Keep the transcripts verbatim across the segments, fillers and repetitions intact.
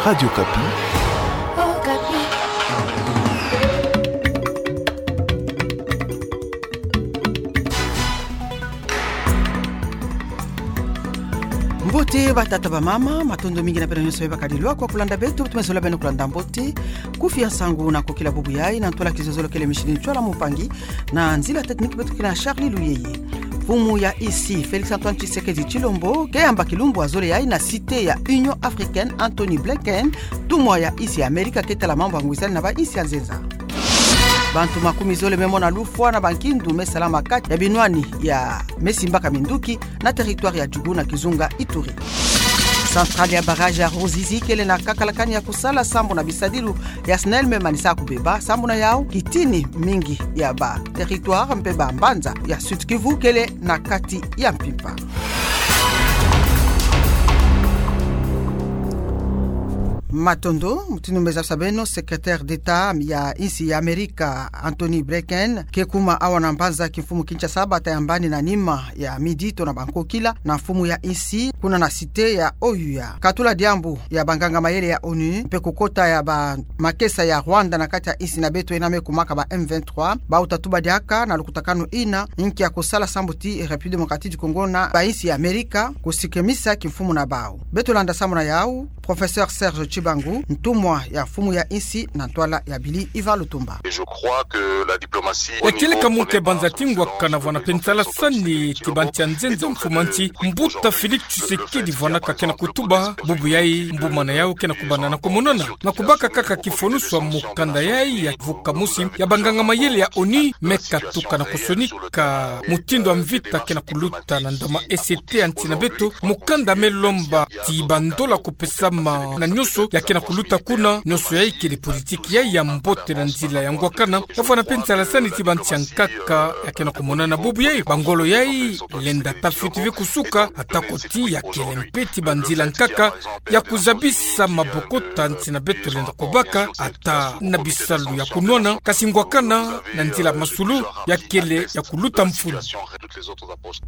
Radio Okapi. Mbote batata bamama, matondo mingi na beno nyonso bebakadi lwaka kulanda beto, tumezola beno kulanda mbote. Kufi ya nsangu na kokila bubu yayi, na ntwala kizololo kele Micheline Tchouala Moupangi, na nzila technique beto ke na Charlie Luyeye. Mfumu ya insi, Félix Antoine Tshisekedi Tshilombo, ke yamba kilumbu ya zole yayi na cité ya Union Africaine, Antony Blinken, ntumwa ya insi ya Amerika ke tala mambu ya ngwisani na ba insi ya nzenza. Bantu makumi zole me mona lufwa na bankindu me salama kati ya binwani ya me simbaka minduki na territoire ya Djougou na kizunga Ituri. Centrale ya barrage ya Ruzizi kele na kakalakani ya kusala sambu na bisadilu ya SNEL me manisa kubeba, sambu na yau kitini mingi ya ba territoire mpe ba mbanza ya Sud-Kivu kele na kati ya mpimpa. Matondo, mutindu me zabisa beno, secrétaire d'État ya insi ya Amerika, Antony Blinken, ke kuma awa na mbanza kimfumu Kinshasa, bata yambani na nima ya midi tona ba nkokila na mfumu ya insi, kuna na cité ya O U A. Katula diambu ya banganga mayele ya ONU, mpe kukota ya ba makesa ya Rwanda na kati ya insi na beto yena me kumaka ba M vingt-trois, bau tatuba diaka na lukutakanu ina, inki ya kusala sambu ti République Démocratique du Congo na ba insi ya Amerika, kusikemisa kimfumu na bau. Beto landa sambu na yau, Professeur Serge Tshibangu, ntumwa ya mfumu ya insi na ntwala ya bili Yvan Lutumba. Et je crois que la diplomatie au niveau... Yakele ka muke banza ti ngwakana vwana mpe nsalasani ti bansi ya nzenza mfumu a nsi, mbuta Félix Tshisekedi vwana ka kena kutuba, bubu yayi, mbuma na yau kena kubanda na komonana. Na kubaka kaka kifonusu ya mukanda yayi ya vuka musi ya banganga mayele ya ONU, me katuka na kusonika mutindu ya mvita kena kuluta na ndama esete ya nsi na beto, mukanda me lomba ti bandola kupesama na nyonso ya kena kuluta kuna, nyonso yayi kele politiki yayi ya mbote na nzila ya ngwakana, ya vwana mpe nsalasani ti bansi ya nkaka ya kena kumonana bubu yayi, bangolo yayi, lenda ta fioti ve kusuka, ata koti ya kele mpe ti banzila nkaka, ya kuzabisa maboko ta nsi na beto lenda kubaka, ata na bisalu ya kunwana, kasi ngwakana na nzila masulu, ya kele ya kuluta mfunu.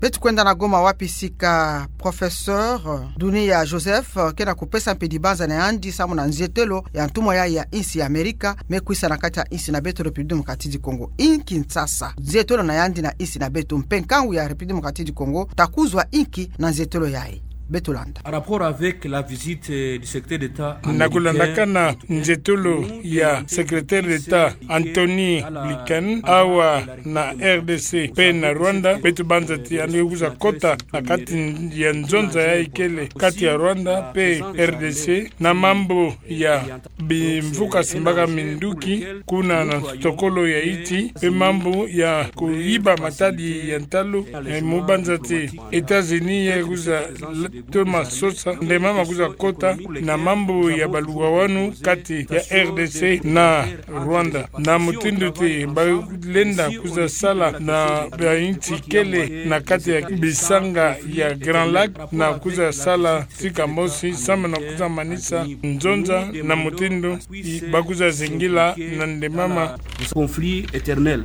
Beto kwenda na Goma wapi sika Professeur Dunia Joseph kena kupesa mpe dibanza na yandi samu na nzietelo ya ntumwa yayi ya insi ya Amerika, me kwisa na kati ya insi na beto République Démocratique du Congo. Inki nsasa nzietelo na yandi na insi na beto, mpe nkangu ya République Démocratique du Congo ta kuzwa inki na nzietelo yayi. Beto landa. En rapport avec la visite, euh, du secrétaire d'État américain, na kulandakana nzietolo ya secrétaire d'État Antony Blinken awa na R D C mpe na Rwanda, beto banza ti yandi kwiza kota na kati ya nzonza yayi kele kati ya Rwanda mpe R D C na mambu ya bimvuka simbaka minduki kuna na nsokolo ya insi, mpe mambu ya kuyiba matadi ya ntalu, eh, mu banza ti États-Unis ya kwiza l-, toma sosa, nde mama kwiza kota na mambu ya baluwawanu kati ya R D C na Rwanda. Na mutindu ti balenda kwiza sala na ba insi kele na kati ya bisanga ya Grand Lac, na kwiza sala sika mosi, samu na kwiza manisa nzonza na mutindu i-, ba kwiza zingila na nde mama. Ce conflit éternel.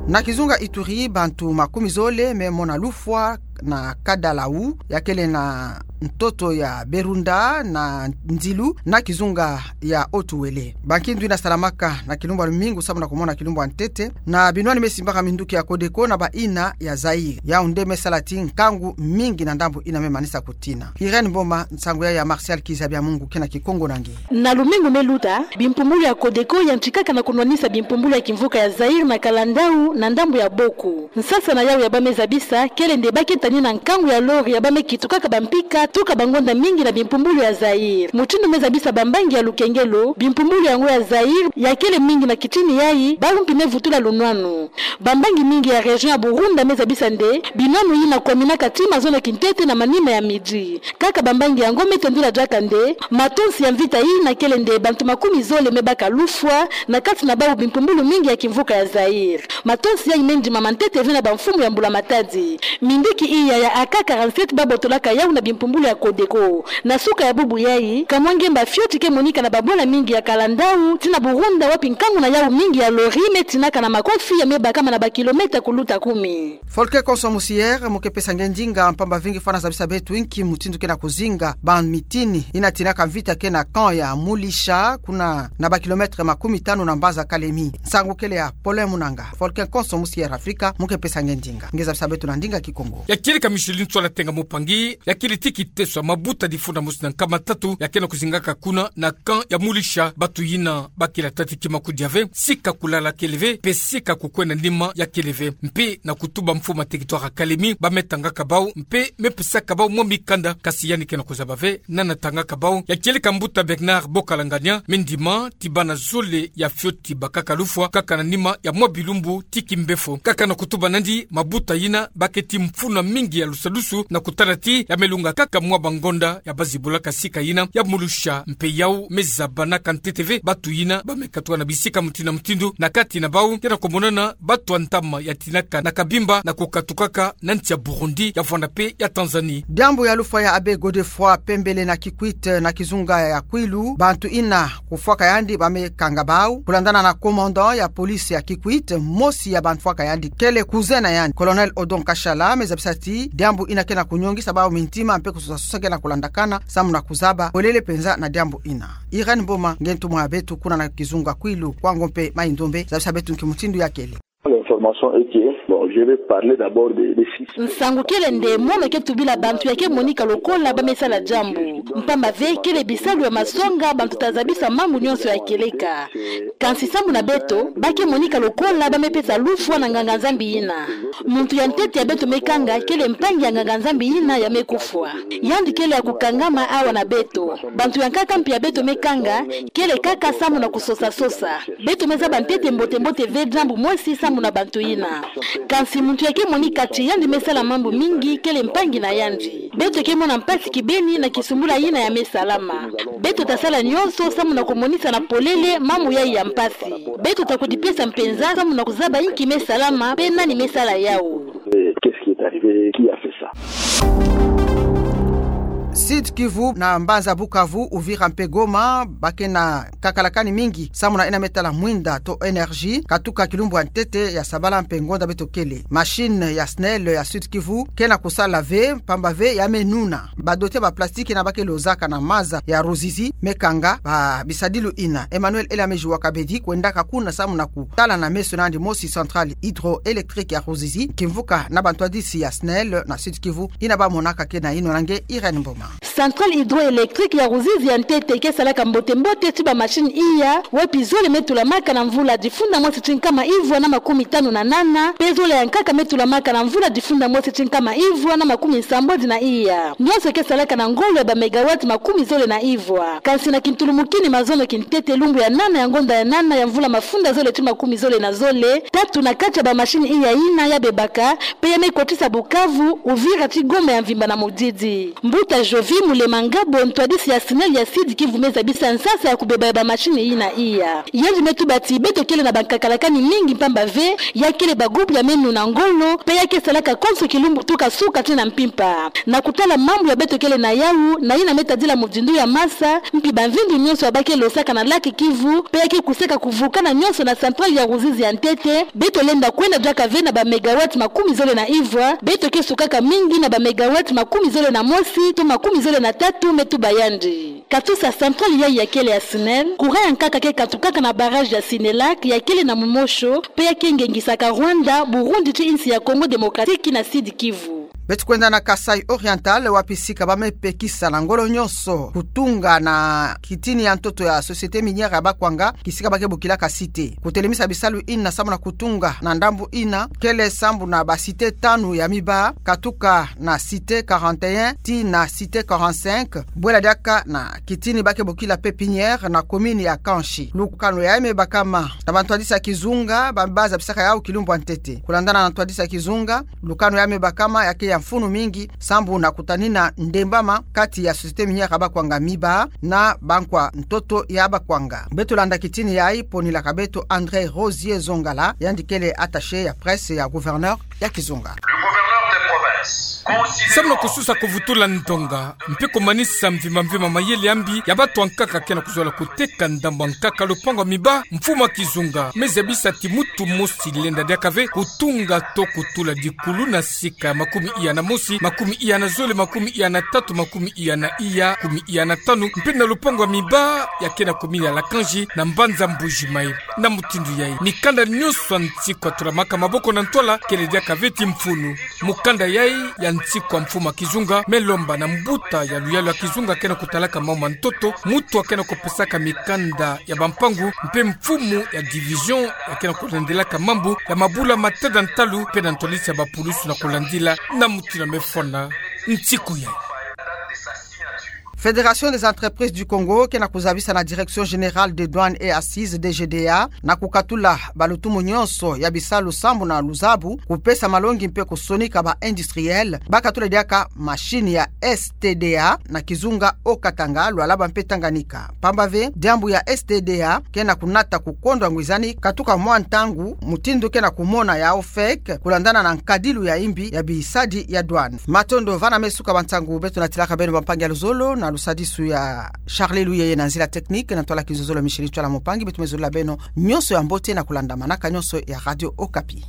Na kizunga Ituri, bantu makumi zole me mona lufwa na Kadalau, ya kele na ntoto ya Berunda na Ndilu, na kizunga ya Haut-Uélé. Bankindu ina salamaka na kilumbu ya lumingu samu na kumona kilumbu ya ntete na binwani me simbaka minduki ya Codeco na ba ina ya Zaïre. Yau nde me sala ti nkangu mingi na ndambu ina me manisa kutina. Irène Mboma, nsangu ya, ya Martial Kiza Bya Mungu kena Kikongo na nge. Na lumingu me luta, bimpumbulu ya Codeco yantikaka na kunwanisa bimpumbulu ya kimvuka ya Zaïre na Kadalau na ndambu ya Boko. Nsasa na yau ya ba me zabisa kele nde ba ke tani na nkangu ya lori ya ba me kitukaka bampika tuka bangonda mingi na bimpumbulu ya Zaïre. Mutindu me zabisa bambangi ya lukengelo, bimpumbulu yango ya Zaïre ya kele mingi na kitini yayi, bawu mpi me vutula lunwanu. Bambangi mingi ya région ya Burunda me zabisa nde binwanu yina kwaminaka ti mazono kintete na manima ya midi. Kaka bambangi yango me tendula diaka nde matonsi ya mvita yina kele nde bantu makumi zole me baka lufwa na kati na bawu bimpumbulu mingi ya kimvuka ya Zaïre. Matonsi yayi me ndimama ntete ve na bamfumu ya mbula matadi. Minduki iya ya A K quarante-sept ba botolaka yawu na bimpumbulu ya Codeco. Na suka ya bubu yayi, kamwa ngemba fioti ke monika na babwala mingi ya kalandau, tii na Burunda, wapi nkangu na yau mingi ya lori me tinaka na makofi ya me bakama na bakilomètre kuluta kumi. Folke Konso Musier, mu ke pesa nge ndinga, mpamba ve nge fwana zabisa beto inki mutindu ke na kuzinga ba mitini ina tinaka mvita ke na camp ya Mulisha, kuna na bakilomètre makumi tanu na mbanza Kalemi. Nsangu kele ya Paulin Munanga. Folke Konso Musier Afrika, mu ke pesa nge ndinga. Nge zabisa beto na ndinga Kikongo. Ya kieleka Micheline Tsola Tenga Mupangi, ya kiele ti kiteso ya mabuta difunda mosi na nkama tatu ya ke na kuzingaka kuna na camp ya Mulisha, batu yina ba kila tati kima kudia ve, sika kulala kele ve, mpe sika kukwenda nima ya kele ve. Mpe na kutuba mfumu ya territoire ya Kalemi, ba me tangaka bau, mpe me pesaka bau mwa mikanda, kasi yandi ke na kuzaba ve nani atangaka bau. Ya kieleka mbuta Bernard Bokalangania, me ndima ti bana zole ya fioti bakaka lufwa, kaka na nima ya mwa bilumbu ti kimbefo. Kaka na kutuba nandi, mabuta yina ba keti mfunu mingi ya lusadusu na kutala ti ya me lunga kaka mwa bangonda ya ba zibulaka sika yina ya Mulisha, mpe yau me zaba na ka ntete ve batu yina ba me katuka na bisika mutindu na mutindu na kati na bau, ke na kumonana batu ya ntama ya tinaka na Kabimba na kukatukaka na nsi ya Burundi, ya Rwanda mpe ya Tanzanie. Diambu ya lufwa ya Abbé Godefroid Pembele na Kikwit na kizunga ya Kwilu, bantu ina kufwaka yandi ba me kanga bau. Kulandana na commandant ya police ya Kikwit, mosi ya bantu fwaka yandi kele cousin na yandi, Colonel Odon Kashala, me zabisa ti diambu ina ke na kunyongisa bau mintima mpe kusosa sosa ke na kulandakana samu na kuzaba polele mpenza na diambu ina. Irène Mboma, nge ntumwa ya beto kuna na kizunga Kwilu, Kwango mpe Mai-Ndombe, zabisa beto nki mutindu ya kele. L'information est que, bon, je vais parler d'abord des, des six. Nsangu kele nde mono ke tubila bantu ya ke monika lokola ba me sala diambu. Mpamba ve kele bisalu ya masonga bantu ta zabisa mambu nyonso ya kieleka. Kansi samu na beto, ba ke monika lokola ba me pesa lufwa na nganga-Nzambi yina. Muntu ya ntete ya beto me kanga kele mpangi ya nganga-Nzambi yina ya me kufwa. Yandi kele ya kukangama awa na beto. Bantu ya nkaka mpe ya beto me kanga kele kaka samu na kusosa sosa. Beto me zaba ntete mbote-mbote ve diambu mosi samu na bantu yina. Kansi muntu ya ke monika ti yandi me sala mambu mingi kele mpangi na yandi. Beto ke mona mpasi kibeni na kisumbula yina ya me salama. Beto ta sala nyonso samu na kumonisa na polele mambu yayi ya mpasi. Beto ta kudipesa mpenza samu na kuzaba inki me salama mpe nani me sala yau. Eh, qu'est-ce qui est arrivé ? Qui a fait ça ? Sud-Kivu na mbanza Bukavu, Uvira mpe Goma, ba ke na kakalakani mingi samu na ina me tala mwinda to énergie, katuka kilumbu ya ntete ya sabala mpe ngonda beto kele. Machine ya SNEL ya Sud-Kivu ke na kusala ve, mpamba ve ya me nuna. Ba dote ba plastique na ba ke lozaka na maza ya Ruzizi me kanga ba bisadilu ina. Emmanuel Elamezi wa Kabedi kwendaka kuna samu na kutala na meso na yandi mosi centrale hydroélectrique ya Ruzizi, kimvuka na bantwadisi ya SNEL na Sud-Kivu ina ba monaka ke na yinona. Nge Irène Mboma. Centrale hydroélectrique ya Ruzizi ya ntete ke salaka mbote-mbote ti ba machine iya, wapi zole me tulamaka na mvula difunda mosi ti nkama ivwa na makumi tanu na nana, mpe zole ya nkaka me tulamaka na mvula difunda mosi ti nkama ivwa na makumi nsambwadi na iya. Nyonso ke salaka na ngolo ya ba mégawatt makumi zole na ivwa. Kansi na kintulumukini mazono kintete lumbu ya nana ya ngonda ya nana ya mvula mafunda zole ti makumi zole na zole, tatu na kati ya ba machine iya yina ya bebaka, mpe ya me kotisa Bukavu, Uvira ti Goma ya mvimba na mudidi. Mbuta Jovi Mulema Ngabo, ntwadisi ya SNEL ya Sud-Kivu, me zabisa nsasa ya kubeba ya ba machine yina iya. Yandi me tuba ti beto kele na bankakalakani mingi mpamba ve ya kele ba groupe ya me nuna ngolo, mpe ya ke salaka konso kilumbu tuka suka ti na mpimpa. Na kutala mambu ya beto kele na yau, na yina me tadila mudindu ya masa, mpi bamvindu nyonso ya ba ke losaka na lac Kivu, mpe ya ke kusaka kuvukana nyonso na centrale ya Ruzizi ya ntete, beto lenda kwenda diaka ve na ba mégawatt makumi zole na ivwa, beto ke sukaka mingi na ba mégawatt makumi zole na mosi to makumi zole na tatu, me tuba yandi. Katusa centrale yayi ya kele ya SNEL, courant ya nkaka ke katukaka na barrage ya Sinelac ya kele na Mumosho, mpe ya ke ngengisaka Rwanda, Burundi ti insi ya Congo Démocratique na Sud-Kivu. Beto kwenda na Kasaï Oriental, wapi sika ba me pekisa na ngolo nyonso kutunga na kitini ya ntoto ya Société Minière ya Bakwanga, kisika ba ke bokilaka Cité. Kutelemisa bisalu ina samu na kutunga na ndambu ina, kele sambu na ba cité tanu ya miba, katuka na Cité quarante et un tii na Cité quarante-cinq, bwela diaka na kitini ba ke bokila Pépinière na commune ya Kanchi. Lukanu yayi me bakama na bantwadisi ya kizunga, ba, ba zabisaka yau kilumbu ya ntete. Kulandana na ntwadisi ya kizunga, lukanu yayi me bakama ya ke ya mfunu mingi, sambu na kutanina ndembama kati ya Société Minière ya Bakwanga miba na bankwa ntoto ya Bakwanga. Beto landa kitini yayi ponilaka beto André Rosier Zongala, yandi kele attaché ya presse ya gouverneur ya kizunga. Le gouverneur de province Samu na kususa kuvutula ndonga mpe kumanisa mvimba mvimba mayele ya mbi ya batu ankaka ke na kuzolaka kuteka ndambu ankaka, lupangu ya miba mfumu a kizunga me zabisa ti mutu mosi lenda diaka ve kutunga to kutula dikulu na sika ya makumi iya na mosi, makumi iya na zole, makumi iya na tatu, makumi iya na iya, makumi iya na tanu, mpe na lupangu ya miba ya ke na commune ya Lakanji na mbanza Mbuji-Mayi. Na mutindu yai, mikanda nyonso ya nsiku atulamaka maboko na ntwala kele diaka ve ti mfunu. Mukanda yai ya nsiku ya mfumu a kizunga me lomba na mbuta ya luyalu ya kizunga ke na kutalaka mambu ma ntoto, mutu a ke na kupesaka mikanda ya bampangu, mpe mfumu ya division ya ke na kulandelaka mambu ya mabula ma tada ntalu, mpe na ntwadisi ya bapulusu na kulandila na mutindu me fona nsiku yai. Fédération des entreprises du Congo ke na kuzabisa na Direction générale des douanes et accises, D G D A, na kukatula balutumu nyonso ya bisalu sambu na luzabu, kupesa malongi mpe kusonika ba industriels bakatula diaka machine ya S T D A, na kizunga, Haut-Katanga, Lualaba mpe Tanganyika. Pamba ve, diambu ya S T D A ke na kunata kukondwa ngwizani katuka mwa ntangu, mutindu ke na kumona ya OFEC, kulandana na nkadilu ya imbi ya bisadi ya douane. Matondo. Vana me suka ba nsangu beto natilaka beno, bampangi ya luzolo, na lusadisu ya Charlie Luyeye, na nzila technique na ntwala kizololo Micheline Tshoala Moupangi, beto me zolila beno nyonso ya mbote na kulanda manaka nyonso ya Radio Okapi.